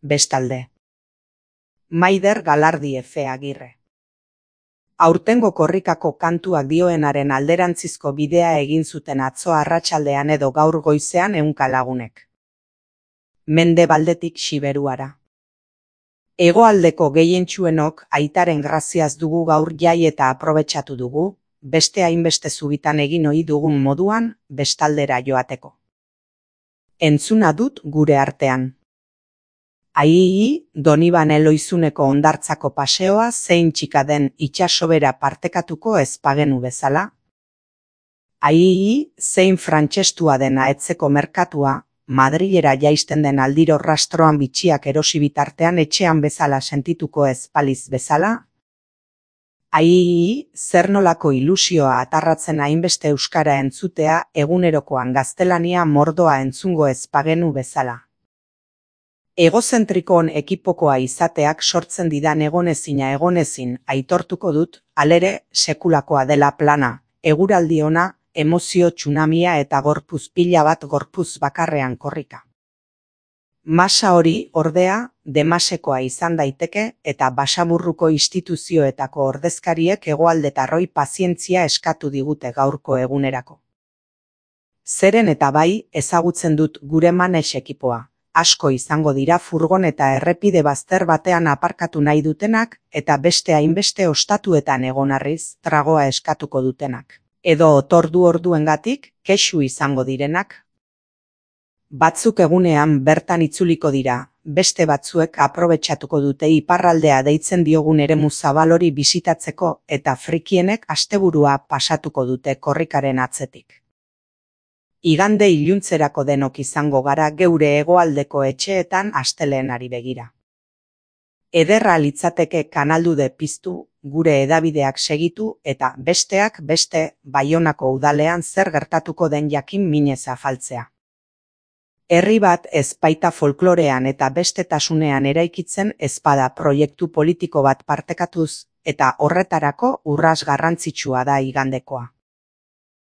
bestalde. Maider Galardi Efe Agirre. Aurtengo korrikako kantuak dioenaren alderantzizko bidea egin zuten atzo arratsaldean edo gaur goizean 100 lagunek. Mendebaldetik Siberuara. Hegoaldeko gehientsuenok aitaren graziaz dugu gaur jai eta aprobetxatu dugu, beste hainbeste zubitan egin ohi dugun moduan, bestaldera joateko. Entzuna dut gure artean. Aii, Donibane Loizuneko hondartzako paseoa zein txika den itsasobera partekatuko ez bagenu bezala. Aii, zein frantsestua dena etzeko merkatua, Madrilera jaisten den aldiro rastroan bitxiak erosi bitartean etxean bezala sentituko ez baliz bezala. Aii, zer nolako ilusioa atarratzen hainbeste euskara entzutea egunerokoan gaztelania mordoa entzungo ez bagenu bezala. Egozentrikon ekipokoa izateak sortzen didan egonezin aitortuko dut, halere sekulakoa dela plana, eguraldi ona, emozio tsunamia eta gorpuz pila bat gorpuz bakarrean korrika. Masa hori, ordea, demasekoa izan daiteke eta Basaburruko instituzioetako ordezkariek hegoaldetarroi pazientzia eskatu digute gaurko egunerako. Zeren eta bai, ezagutzen dut gure manes ekipoa. Asko izango dira furgon eta errepide bazter batean aparkatu nahi dutenak eta beste hainbeste ostatuetan egonarriz tragoa eskatuko dutenak. Edo otordu orduengatik kexu izango direnak. Batzuk egunean bertan itzuliko dira, beste batzuek aprobetxatuko dute iparraldea deitzen diogun eremu zabal hori bisitatzeko eta frikienek asteburua pasatuko dute korrikaren atzetik. Igande iluntzerako denok izango gara geure hegoaldeko etxeetan astelehenari begira. Ederra litzateke kanaldude piztu, gure hedabideak segitu eta besteak beste Baionako udalean zer gertatuko den jakin minez afaltzea. Herri bat ez baita folklorean eta bestetasunean eraikitzen ezpada proiektu politiko bat partekatuz eta horretarako urras garrantzitsua da igandekoa.